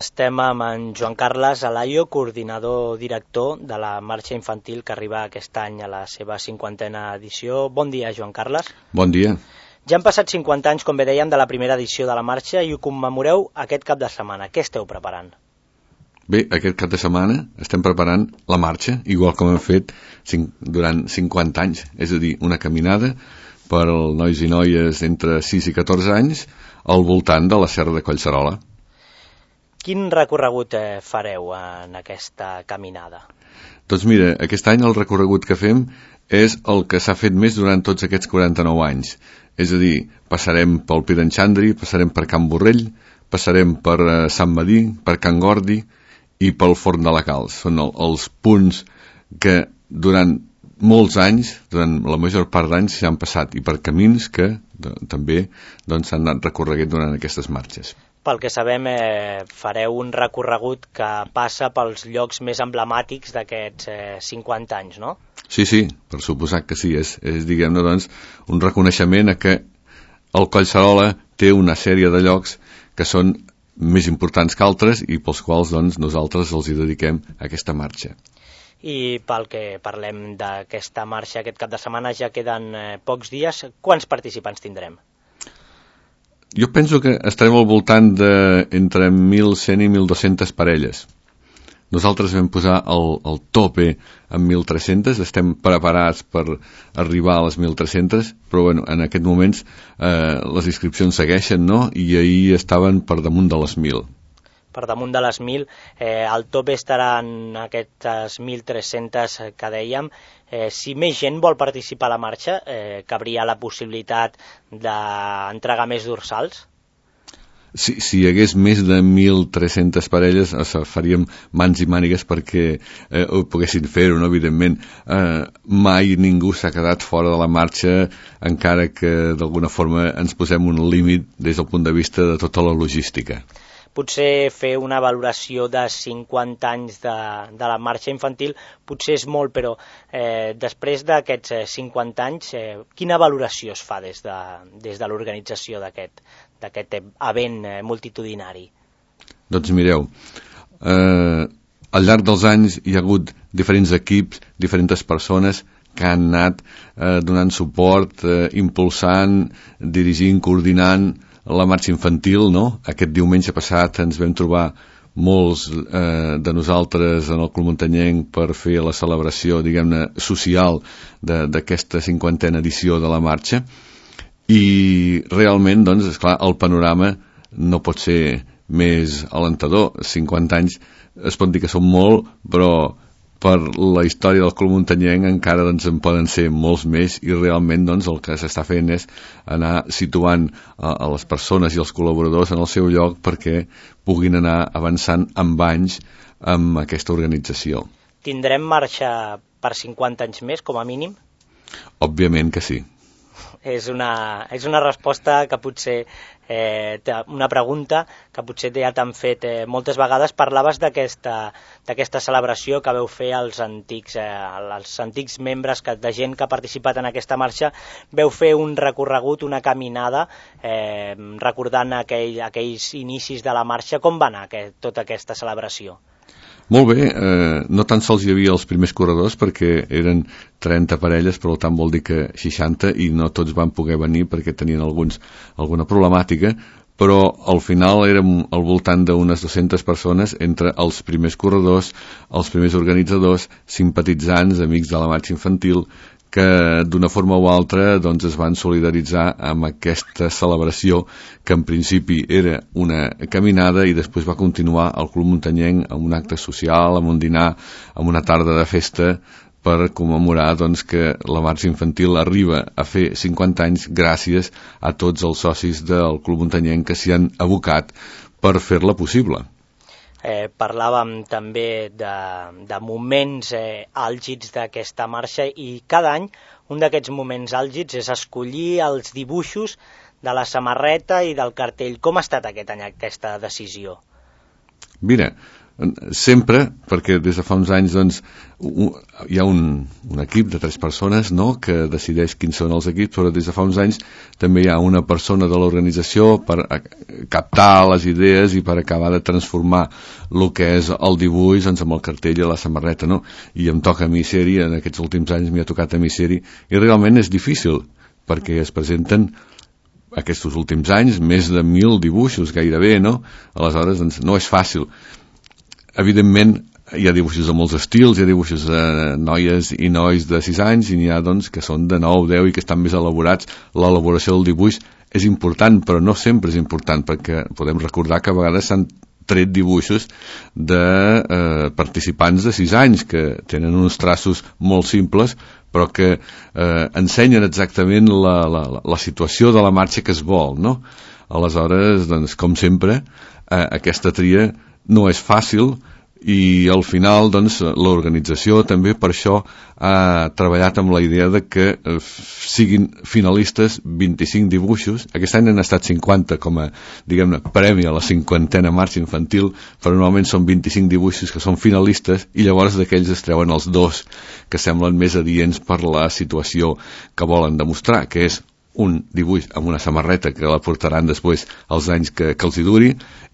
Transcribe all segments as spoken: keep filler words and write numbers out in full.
Estem amb en Joan Carles Alayo, coordinador director de la marxa infantil que arriba aquest any a la seva cinquantena edició. Bon dia, Joan Carles. Bon dia. Ja han passat cinquanta anys, com bé dèiem, de la primera edició de la marxa i ho commemoreu aquest cap de setmana. Què esteu preparant? Bé, aquest cap de setmana estem preparant la marxa, igual com hem fet cinc, durant cinquanta anys, és a dir, una caminada per als nois i noies entre sis i catorze anys al voltant de la Serra de Collserola. Quin recorregut eh, fareu en aquesta caminada? Doncs mira, aquest any el recorregut que fem és el que s'ha fet més durant tots aquests quaranta-nou anys. És a dir, passarem pel Pi d'en Xandri, passarem per Can Borrell, passarem per eh, Sant Medir, per Can Gordi i pel Forn de la Calç. Són el, els punts que durant molts anys, durant la major part d'anys, s'han passat, i per camins que de, també doncs, s'han anat recorreguent durant aquestes marxes. Pel que sabem, eh, fareu un recorregut que passa pels llocs més emblemàtics d'aquests eh, cinquanta anys, no? Sí, sí, per suposat que sí. És, és diguem-ne, doncs, un reconeixement a que el Collserola té una sèrie de llocs que són més importants que altres i pels quals doncs, nosaltres els hi dediquem aquesta marxa. I pel que parlem d'aquesta marxa aquest cap de setmana, ja queden eh, pocs dies. Quants participants tindrem? Jo penso que estarem al voltant de entre mil cent i mil dos-centes parelles. Nosaltres vam posar el, el tope en mil tres-centes, estem preparats per arribar a les mil tres-centes, però bueno, en aquest moments eh, les inscripcions segueixen, no? I ahir estaven per damunt de les mil. Per damunt de les mil, eh, el tope estarà en aquestes mil tres-centes que dèiem. Eh, si més gent vol participar a la marxa, eh, cabria la possibilitat d'entregar més dorsals? Si, si hi hagués més de mil tres-centes parelles, o sigui, faríem mans i mànigues perquè eh, ho poguessin fer-ho, no? Evidentment. Eh, mai ningú s'ha quedat fora de la marxa, encara que d'alguna forma ens posem un límit des del punt de vista de tota la logística. Potser fer una valoració de cinquanta anys de, de la marxa infantil potser és molt, però eh, després d'aquests eh, cinquanta anys, eh, quina valoració es fa des de, des de l'organització d'aquest d'aquest event eh, multitudinari? Doncs mireu, eh, al llarg dels anys hi ha hagut diferents equips, diferents persones que han anat eh, donant suport, eh, impulsant, dirigint, coordinant la marxa infantil, no? Aquest diumenge passat ens vam trobar molts eh, de nosaltres en el Club Muntanyenc per fer la celebració, diguem-ne, social d'aquesta cinquantena edició de la marxa, i realment, doncs, esclar, el panorama no pot ser més alentador. cinquanta anys es pot dir que són molt, però per la història del Club Muntanyenc encara doncs, en poden ser molts més, i realment doncs, el que s'està fent és anar situant a, a les persones i els col·laboradors en el seu lloc perquè puguin anar avançant amb anys amb aquesta organització. Tindrem marxa per cinquanta anys més, com a mínim? Òbviament que sí. És una, és una resposta que potser, eh, una pregunta que potser ja t'han fet eh, moltes vegades. Parlaves d'aquesta d'aquesta celebració que veu fer als antics, eh, als antics membres que, de gent que ha participat en aquesta marxa. Veu fer un recorregut, una caminada, eh, recordant aquell, aquells inicis de la marxa. Com va anar aquest, tota aquesta celebració? Molt bé, eh, no tan sols hi havia els primers corredors perquè eren trenta parelles, per tant vol dir que seixanta, i no tots van poder venir perquè tenien alguns, alguna problemàtica, però al final érem al voltant d'unes dues-centes persones entre els primers corredors, els primers organitzadors, simpatitzants, amics de la marxa infantil, que d'una forma o altra doncs, es van solidaritzar amb aquesta celebració que en principi era una caminada i després va continuar al Club Muntanyenc amb un acte social, amb un dinar, amb una tarda de festa per commemorar doncs, que la marxa infantil arriba a fer cinquanta anys gràcies a tots els socis del Club Muntanyenc que s'hi han abocat per fer-la possible. Eh, parlàvem també de, de moments eh, àlgids d'aquesta marxa, i cada any un d'aquests moments àlgids és escollir els dibuixos de la samarreta i del cartell. Com ha estat aquest any aquesta decisió? Mira, sempre, perquè des de fa uns anys doncs, un, hi ha un, un equip de tres persones, no?, que decideix quins són els equips, però des de fa uns anys també hi ha una persona de l'organització per a, captar les idees i per acabar de transformar el que és el dibuix doncs, amb el cartell i la samarreta, no? I em toca a mi ser-hi, en aquests últims anys m'hi ha tocat a mi ser-hi, i realment és difícil, perquè es presenten aquests últims anys més de mil dibuixos gairebé, no? Aleshores, doncs, no és fàcil. Evidentment, hi ha dibuixos de molts estils, hi ha dibuixos de noies i nois de sis anys, i n'hi ha, doncs, que són de nou, deu i que estan més elaborats. L'elaboració del dibuix és important, però no sempre és important, perquè podem recordar que a vegades s'han tret dibuixos de eh, participants de sis anys, que tenen uns traços molt simples, però que eh, ensenyen exactament la, la, la situació de la marxa que es vol, no? Aleshores, doncs, com sempre, eh, aquesta tria no és fàcil, i al final doncs, l'organització també per això ha treballat amb la idea de que eh, siguin finalistes vint-i-cinc dibuixos. Aquest any han estat cinquanta com a, diguem-ne, premi a la cinquantena marxa infantil, però normalment són vint-i-cinc dibuixos que són finalistes, i llavors d'aquells es treuen els dos que semblen més adients per la situació que volen demostrar, que és un dibuix amb una samarreta que la portaran després els anys que, que els hi duri,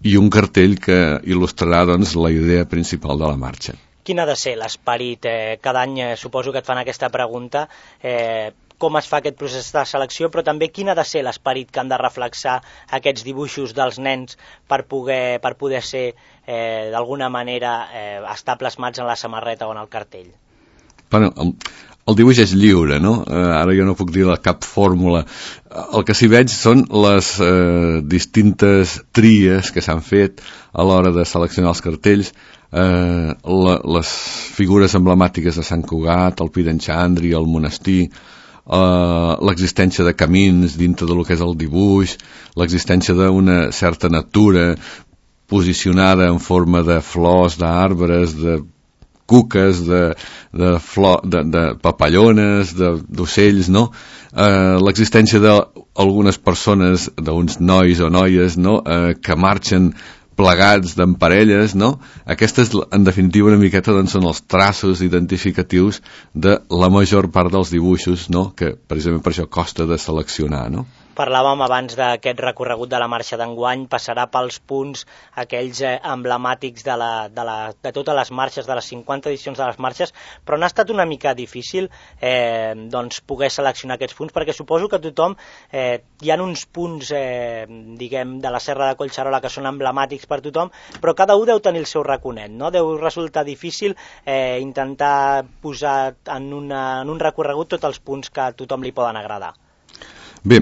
i un cartell que il·lustrarà doncs, la idea principal de la marxa. Quin ha de ser l'esperit? Eh, cada any eh, suposo que et fan aquesta pregunta, eh, com es fa aquest procés de selecció, però també quin ha de ser l'esperit que han de reflexar aquests dibuixos dels nens per poder, per poder ser eh, d'alguna manera eh, estar plasmats en la samarreta o en el cartell? Bueno, el, el dibuix és lliure, no? Eh, ara jo no puc dir cap fórmula. El que s'hi veig són les eh, distintes tries que s'han fet a l'hora de seleccionar els cartells, eh, la, les figures emblemàtiques de Sant Cugat, el Pi d'en Xandri, el monestir, eh, l'existència de camins dintre del que és el dibuix, l'existència d'una certa natura posicionada en forma de flors, d'arbres, de cuques, de, de, flor, de, de papallones, d'ocells, no? Eh, l'existència d'algunes persones, d'uns nois o noies, no? Eh, que marxen plegats d'en parelles, no? Aquestes, en definitiva, una miqueta doncs, són els traços identificatius de la major part dels dibuixos, no? Que precisament per això costa de seleccionar, no? Parlàvem abans d'aquest recorregut de la marxa d'enguany, passarà pels punts aquells eh, emblemàtics de, la, de, la, de totes les marxes, de les cinquanta edicions de les marxes, però n'ha estat una mica difícil eh, doncs, poder seleccionar aquests punts, perquè suposo que tothom, eh, hi ha uns punts eh, diguem, de la Serra de Collserola que són emblemàtics per tothom, però cada un deu tenir el seu raconet, no? Deu resultar difícil eh, intentar posar en, una, en un recorregut tots els punts que a tothom li poden agradar. Bé,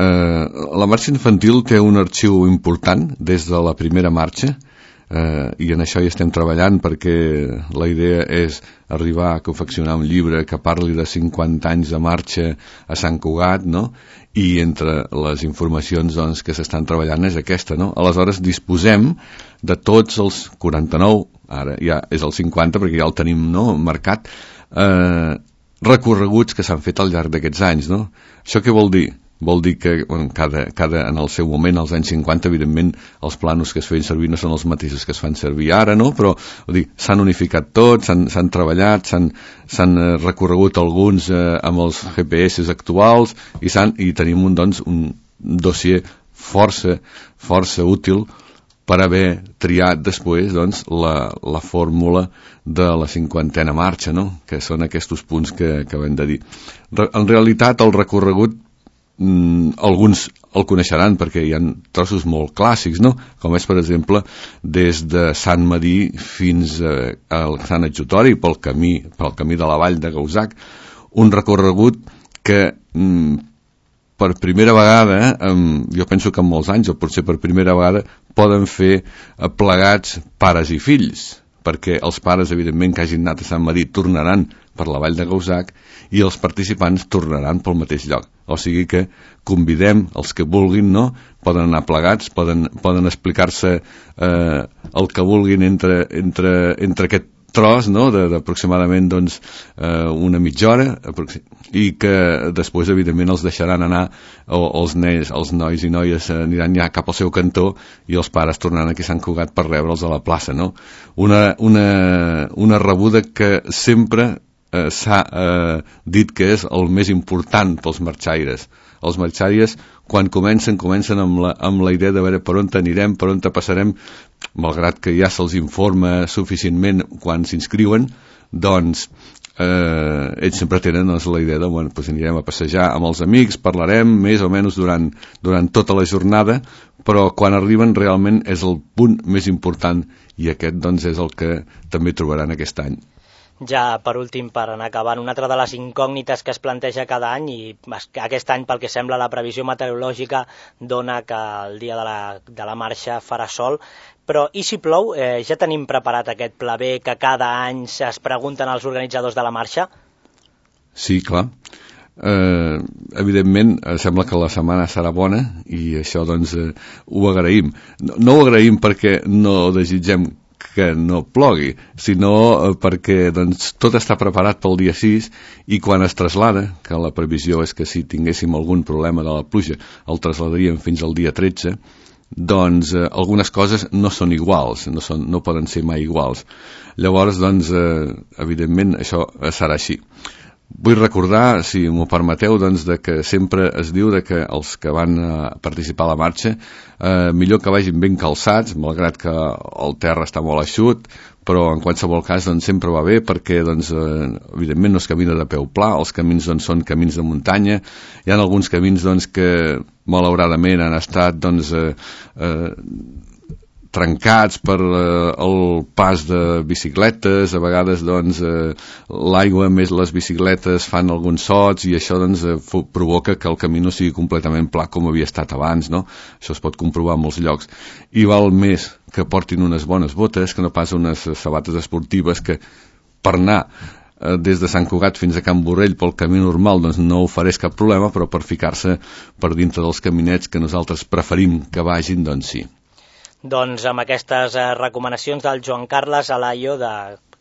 eh, la marxa infantil té un arxiu important des de la primera marxa, eh, i en això hi estem treballant, perquè la idea és arribar a confeccionar un llibre que parli de cinquanta anys de marxa a Sant Cugat, no? I entre les informacions doncs, que s'estan treballant és aquesta, no? Aleshores disposem de tots els quaranta-nou, ara ja és el cinquanta perquè ja el tenim, no?, marcat, eh, recorreguts que s'han fet al llarg d'aquests anys, no? Això què vol dir? Vol dir que bueno, cada, cada, en el seu moment, als anys cinquanta, evidentment, els planos que es feien servir no són els mateixos que es fan servir ara, no? Però s'han unificat tots, s'han treballat, s'han recorregut alguns eh, amb els G P S actuals, i, i tenim un, doncs, un dossier força, força útil per haver triat després doncs, la, la fórmula de la cinquantena marxa, no? Que són aquests punts que acabem de dir. En realitat, el recorregut mm, alguns el coneixeran perquè hi ha trossos molt clàssics, no? Com és, per exemple, des de Sant Madí fins a, al Sant Adjutori pel camí, pel camí de la vall de Gauzac, un recorregut que mm, per primera vegada, eh, jo penso que en molts anys, o potser per primera vegada, poden fer eh, plegats pares i fills, perquè els pares, evidentment, que hagin anat a Sant Madí tornaran per la vall de Gauzac i els participants tornaran pel mateix lloc. O sigui que convidem els que vulguin, no? Poden anar plegats, poden, poden explicar-se eh, el que vulguin entre, entre, entre aquest tros, no?, d'aproximadament doncs, eh, una mitja hora, i que després, evidentment, els deixaran anar, o els, nens, els nois i noies aniran ja cap al seu cantó i els pares tornaran aquí a Sant Cugat per rebre'ls a la plaça, no? Una, una, una rebuda que sempre eh, s'ha eh, dit que és el més important pels marxaires. Els marxaires, quan comencen, comencen amb la, amb la idea de veure per on anirem, per on passarem, malgrat que ja se'ls informa suficientment quan s'inscriuen, doncs eh, ells sempre tenen doncs, la idea de, bueno, doncs anirem a passejar amb els amics, parlarem més o menys durant, durant tota la jornada, però quan arriben realment és el punt més important, i aquest doncs és el que també trobaran aquest any. Ja, per últim, per anar acabant, una altra de les incògnites que es planteja cada any, i aquest any, pel que sembla, la previsió meteorològica dona que el dia de la, de la marxa farà sol, però i si plou? Eh, ja tenim preparat aquest pla B que cada any es pregunten els organitzadors de la marxa? Sí, clar. Eh, evidentment, sembla que la setmana serà bona, i això, doncs, eh, ho agraïm. No, no ho agraïm perquè no desitgem que no plogui, sinó perquè doncs, tot està preparat pel dia sis, i quan es traslada, que la previsió és que si tinguéssim algun problema de la pluja el trasladaríem fins al dia tretze, doncs eh, algunes coses no són iguals, no, són, no poden ser mai iguals. Llavors, doncs, eh, evidentment, això serà així. Vull recordar, si m'ho permeteu, doncs, de que sempre es diu de que els que van a participar a la marxa eh, millor que vagin ben calçats, malgrat que el terra està molt eixut, però en qualsevol cas doncs, sempre va bé perquè doncs, eh, evidentment no es camina de peu pla, els camins doncs, són camins de muntanya, hi ha alguns camins doncs, que malauradament han estat doncs, eh, eh, trencats per eh, el pas de bicicletes, a vegades doncs, eh, l'aigua més les bicicletes fan alguns sots, i això doncs, eh, provoca que el camí no sigui completament pla com havia estat abans, no? Això es pot comprovar en molts llocs, i val més que portin unes bones botes que no pas unes sabates esportives que per anar eh, des de Sant Cugat fins a Can Borrell pel camí normal doncs no ofereix cap problema, però per ficar-se per dintre dels caminets que nosaltres preferim que vagin, doncs sí. Doncs amb aquestes eh, recomanacions del Joan Carles Alayo, de,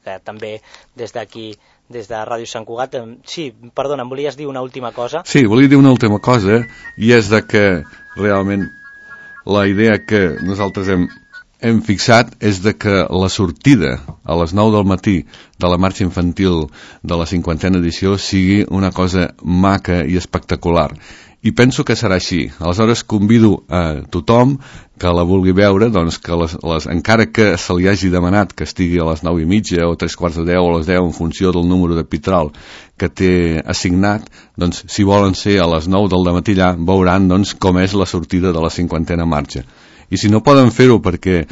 que també des d'aquí, des de Ràdio Sant Cugat, eh, sí, perdona, em volies dir una última cosa? Sí, volia dir una última cosa, i és de que realment la idea que nosaltres hem, hem fixat és de que la sortida a les nou del matí de la marxa infantil de la cinquantena edició sigui una cosa maca i espectacular. I penso que serà així. Aleshores convido a tothom que la vulgui veure, doncs que les, les, encara que se li hagi demanat que estigui a les nou i mitja o tres quarts de deu o a les deu en funció del número de pitral que té assignat, doncs si volen ser a les nou del dematí allà, veuran doncs com és la sortida de la cinquantena marxa. I si no poden fer-ho perquè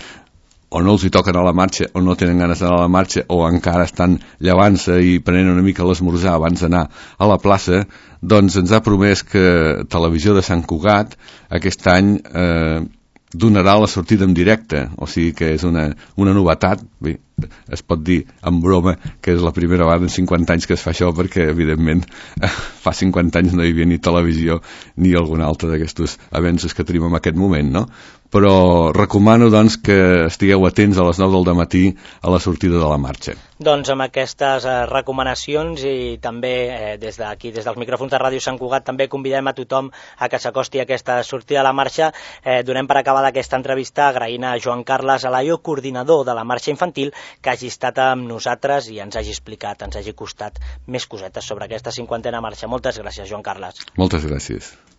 o no els hi toquen a la marxa, o no tenen ganes d'anar a la marxa, o encara estan llevant-se i prenent una mica l'esmorzar abans d'anar a la plaça, doncs ens ha promès que Televisió de Sant Cugat aquest any eh, donarà la sortida en directe, o sigui que és una, una novetat. Bé, es pot dir en broma que és la primera vegada en cinquanta anys que es fa això, perquè evidentment fa cinquanta anys no hi havia ni televisió ni algun altre d'aquests avenços que tenim en aquest moment, no? Però recomano doncs que estigueu atents a les nou del dematí a la sortida de la marxa. Doncs amb aquestes eh, recomanacions i també eh, des d'aquí, des dels micròfons de Ràdio Sant Cugat, també convidem a tothom a que s'acosti a aquesta sortida a la marxa. Eh, donem per acabada aquesta entrevista agraint a Joan Carles Alayo, coordinador de la marxa infantil, que hagi estat amb nosaltres i ens hagi explicat, ens hagi costat més cosetes sobre aquesta cinquantena marxa. Moltes gràcies, Joan Carles. Moltes gràcies.